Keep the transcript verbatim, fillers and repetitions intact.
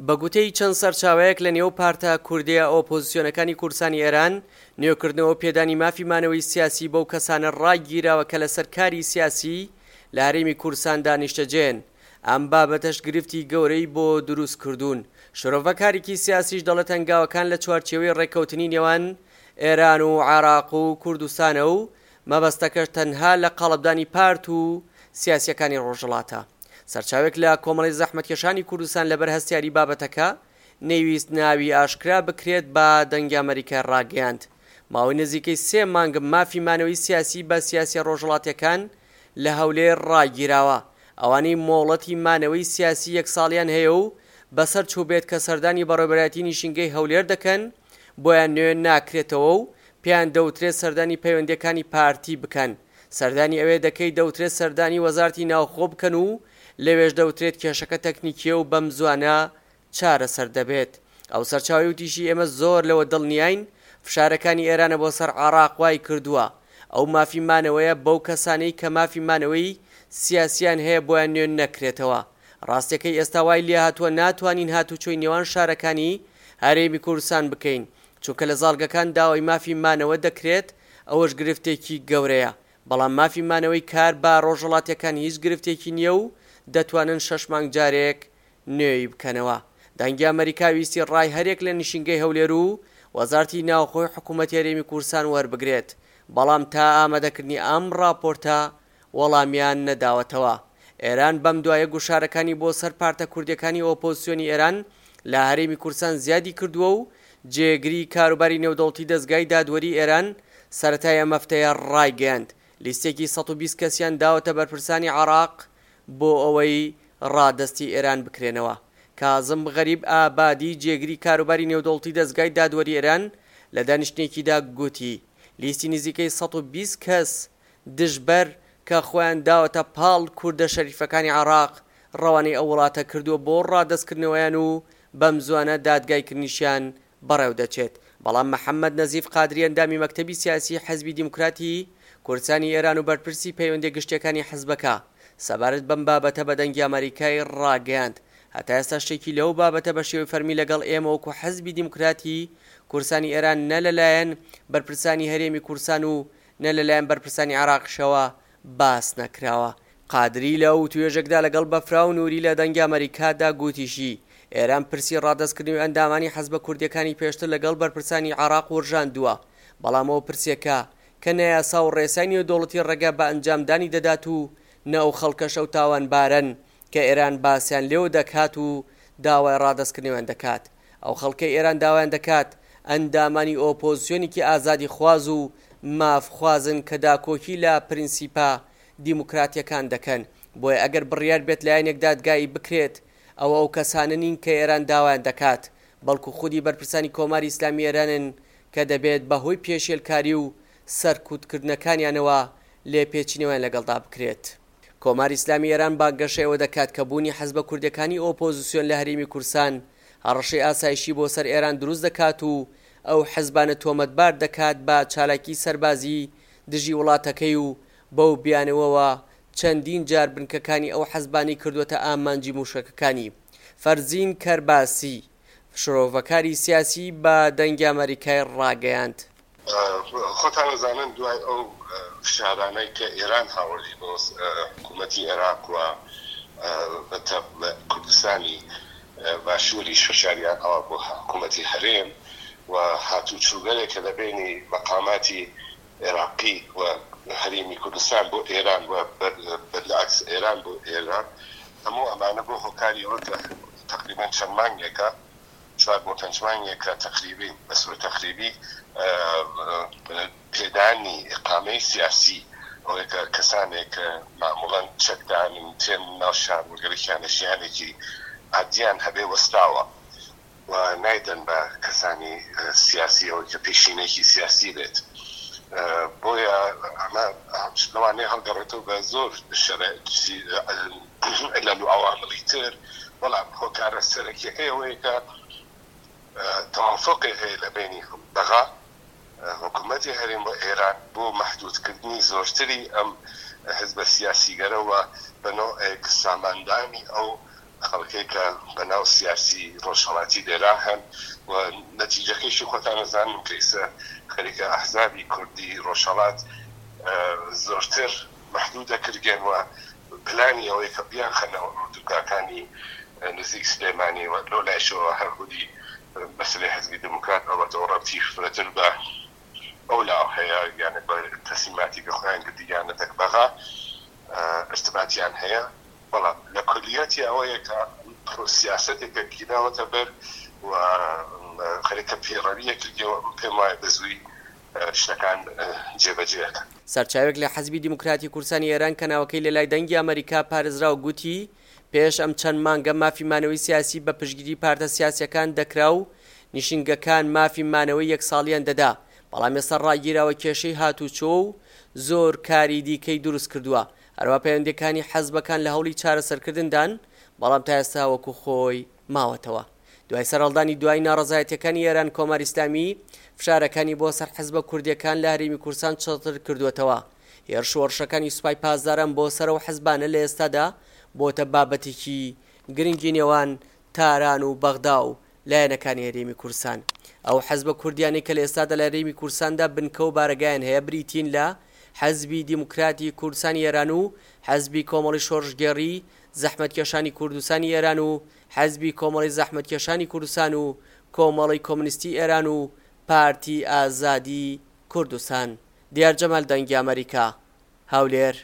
بە گوتەی چەند سەرچاوەیەک لە نێو پارتە کوردییە ئۆپۆزسیۆنەکانی کوردستانی ئێران، نوێکردنەوە و پێدانی مافی مانەوەی سیاسی بەو کەسانە ڕاگیراوە کە لەسەر کاری سیاسی لە هەرێمی کوردستاندا نیشتەجێن. ئەم بابەتەش گرفتی گەورەی بۆ دروست کردوون. شرۆڤەکارێکی سیاسیش دەڵێت هەنگاوەکان لە چوارچێوەی ڕێککەوتنی نێوان ئێران و عێراق و کوردستانە و مەبەستەکەش تەنها لە قاڵبدانی پارت و سیاسیەکانی ڕۆژهەڵاتە. سەرچاوێک لە کۆمەڵی زەحمەتکێشانی کوردستان لەبەر هەستیاری بابەتەکە نەیویست ناوی ئاشکرا بکرێت بە دەنگی ئەمەریکای ڕاگەیاند ماوەی نزیکەی سێ مانگ مافی مانەوەی سیاسی بە سیاسیە ڕۆژهەڵاتیەکان لە هەولێر ڕاگیراوە. ئەوانەی مۆڵەتی مانەوەی سیاسی یەک ساڵیان هەیە و بەسەر چووبێت کە سەردانی بەڕێوەبەرایەتی نیشینگەی هەولێر دەکەن بۆیان نوێ ناکرێتەوە و پێیان دەوترێت سەردانی پەیوەندیەکانی پارتی بکەن. سەردانی ئەوێ دەکەی دەوترێت سەردانی وەزارەتی ناوخۆ بکەن و لەوێش دەوترێت کێشەکە تەکنیکیە و بەم زوانە چارەسەر دەبێت. ئەو سەرچاوەی وتیشی ئێمە زۆر لەوە دڵنیاین فشارەکانی ئێرانە بۆ سەر عێراق وای کردووە ئەو مافی مانەوەیە بەو کەسانەی کە مافی مانەوەی سیاسیان هەیە بۆیان نوێ نەکرێتەوە. ڕاستیەکەی ئێستا وای لێهاتووە ناتوانین هاتوچۆی نێوان شارەکانی هەرێمی کوردستان بکەین چونکە لە زاڵگەکان داوای مافی مانەوە دەکرێت ئەوەش گرفتێکی گەورەیە. بەڵام مافی مانەوەی کار بە ڕۆژهەڵاتیەکان هیچ گرفتێکی نییە و دەتوانن شەش مانگ جارێک نوێی بکەنەوە. دەنگی ئەمەریکا ویستی ڕای هەرێک لە نشینگەی هەولێر و وەزارەتی ناوخۆی حکوومەتی هەرێمی کوردستان وەربگرێت، بەڵام تا ئامادەکردنی ئەم ڕاپۆرتە وەڵامیان نەداوەتەوە. ئێران بەم دوایە گوشارەکانی بۆ سەر پارتە کوردیەکانی ئۆپۆزسیۆنی ئێران لە هەرێمی کوردستان زیادی کردووە و جێگری کاروباری نێودەوڵەتی دەزگای دادوەری ئێران سەرەتای ئەم هەفتەیە ڕایگەیاند لیستێکی سەد و بیست کەسیان داوەتە بەرپرسانی عێراق بۆ ئەوەی ڕادەستی ئێران بکرێنەوە. کازم غەریب ئابادی جێگری کاروباری نێودەوڵەتی دەزگای دادوەری ئێران لە دانیشتنێکیدا گوتی لیستی نزیکەی سەد و بیست کەس دژبەر کە خۆیان داوەتە پاڵ کوردە شەریفەکانی عێراق ڕەوانەی ئەو وڵاتە کردووە بۆ ڕادەستکردنەوەیان و بەم زوانە دادگایکردنیشیان بەڕێو دەچێت. بەڵام محەممەد نەزیف قادری ئەندامی مەکتەبی سیاسی حزبی دیموکراتی کوردستانی ئێران و بەرپرسی پەیوەندیە گشتیەکانی حزبەکە سەبارەت بەم بابەتە بە دەنگی ئەمەریکای ڕاگەیاند هەتا ئێستا شتێکی لەو بابەتە بە شێوەی فەرمی لەگەڵ ئێمە وەکو حزبی دیموکراتی کوردستانی ئێران نە لەلایەن بەرپرسانی هەرێمی کوردستان و نە لەلایەن بەرپرسانی عێراقیشەوە باس نەکراوە. قادری لە وتوێژێکدا لەگەڵ بەفراو نووری لە دەنگی ئەمەریکادا گوتیشی ئێران پرسی ڕادەستکردنەوەی ئەندامانی حزبە کوردیەکانی پێشتر لەگەڵ بەرپرسانی عێراق ورژاندووە، بەڵام ئەو پرسێکە کە نەیاسا و ڕێسای نێودەوڵەتی ڕێگا بە ئەنجامدانی دەدات و نە ئەو خەڵکەش ئەو تاوانبارەن کە ئێران باسیان لێوە دەکات و داوای ڕادەستکردنەوەیان دەکات. ئەو خەڵکەی ئێران داوایان دەکات ئەندامانی ئۆپۆزیسیۆنێکی ئازادیخواز و مافخوازن کە داکۆکی لە پرینسیپە دیموکراتیەکان دەکەن. بۆیە ئەگەر بڕیار بێت لایەنێک دادگایی بکرێت ئەوە ئەو کەسانە نین کە ئێران داوایان دەکات، بەڵکو خودی بەرپرسانی کۆماری ئیسلامی ئێرانن کە دەبێت بەهۆی پێشێلکاری و سەرکوتکردنەکانیانەوە لێپێچینەوەیان لەگەڵدا بکرێت. کۆماری ئیسلامی ئێران بانگەشەیەوە دەکات کە بوونی حزبە کوردیەکانی ئۆپۆزیسیۆن لە هەرێمی کوردستان هەڕەشەی ئاسایشی بۆ سەر ئێران دروست دەکات و ئەو حزبانە تۆمەتبار دەکات بە چالاکی سەربازی دژی وڵاتەکەی و بەو بیانەوەوە چەندین جار بنکەکانی ئەو حزبانی کردووەتە ئامانجی موشەکەکانی. فەرزین کەرباسی شرۆڤەکاری سیاسی بە دەنگی ئەمەریکای ڕاگەیاند. خۆتان ئەزانن دوای ئەو فشارانەی کە ئێران هاوردی بۆ حکوومەتی عێراق و کوردستانی باشووریش فشاریان ئەوە بۆ حکوومەتی هەرێم و هاتوچووگەلێک کە لە بەینی مەقاماتی عێراقی و هەرێمی کوردستان بۆ ئێران و بەلعکس ئێران بۆ ئێران، هەموو ئەمانە بۆ هۆکاری ئەوە کە تەقریبەن چەند مانگێکە، چوار بۆ پێنج مانگێکە تەقریبی بە سوور تەقریبی پێدانی ئیقامەی سیاسی ئەوەیە کە کەسانێک معموڵەن چەکدارن تێن ناو شار و گەلێکیان ژیانێکی عادیان هەبێ وەستاوە و نایدەن بە کەسانی سیاسی ئەوەی کە پێشینێکی سیاسی بێت. بۆیە ئەمە لەوانەیە هەڵگەڕێتەوە بە زۆر علل و عەواملی تر، بەڵام هۆکارە سەرەکیەکەی ئەوەیە کە تەوافقێ هەیە لە بەینی بەغا حکوومەتی هەرێم و ئێران بۆ مەحدودکردنی زۆرتری ئەم حزبە سیاسیگەرەوە بە نەوعێک ساماندانی ئەو خەڵکەی کە بە ناو سیاسی ڕۆژهەڵاتی لێرا هەن و نەتیجەکەیشی خۆتان ئەزانن کە ئیسە خەریکە ئەحزابی کوردی ڕۆژهەڵات زۆرتر مەحدوود ئەکرگێن و پلانی ئەوەیە کە بیانخەنەوە ئۆردوگاکانی نزیک سلێمانی و لەو لایشەوە هەر خودی مەسەلەی حزبی دێموکرات ئەڵبەتە ڕەبتی فرەتر بە ئەو لاوە هەیە، یانە بە تەسلیماتی کە خۆیان گردیانە تەک بەغا ارتباتیان هەیە، بەڵام لە کولیەتی ئەوەیە کە سیاسەتێکە گیراوەتە بەر و خەریکە پەیڕەویە کردیەوە، پێم وایە بە زووی شتەکان جێبەجێ ئەکەن. سەرچاوێک لە حزبی دیموکراتی کوردستانی ئێران کە ناوەکەی لە لای دەنگی ئەمەریکا پارێزراو گوتی پێش ئەم چەند مانگە مافی مانەوەی سیاسی بە پشتگیری پارتە سیاسیەکان دەکرا و نیشینگەکان مافی مانەوەی یەک ساڵیان دەدا، بەڵام ئێستا ڕاگیراوە کێشەی هاتوچۆ و زۆر کاری دیکەی دروست کردووە. هەروە پەیوەندیەکانی حەزبەکان لە هەوڵی چارەسەرکردندان، بەڵام تا ئێستا وەکو خۆی ماوەتەوە. دوای سەرهەڵدانی دوای ناڕەزایەتیەکانی ئێران، کۆماری ئیسلامی فشارەکانی بۆ سەر حزبە کوردیەکان لە هەرێمی کوردستان چڕتر کردووەتەوە. هێرش و هەڕەشەکانی سوپای پاسداران بۆ سەر ئەو حزبانە لە ئێستادا بۆتە بابەتێکی گرنگی نێوان تاران و بەغدا و لایەنەکانی هەرێمی کوردستان. ئەو حزبە کوردیانەی کە لە ئێستادا لە هەرێمی کوردستاندا بنکە و بارەگایان هەیە بریتین لە حزبی دیموکراتی کوردستانی ئێران و حزبی کۆمەڵی شۆڕشگێڕی زەحمەتکێشانی کوردستانی ئێران و حزبی کۆمەڵی زەحمەتکێشانی کوردستان و کۆمەڵی کۆمۆنیستی ئێران و پارتی ئازادی کوردستان. دیار جەمال، دەنگی ئەمەریکا، هەولێر.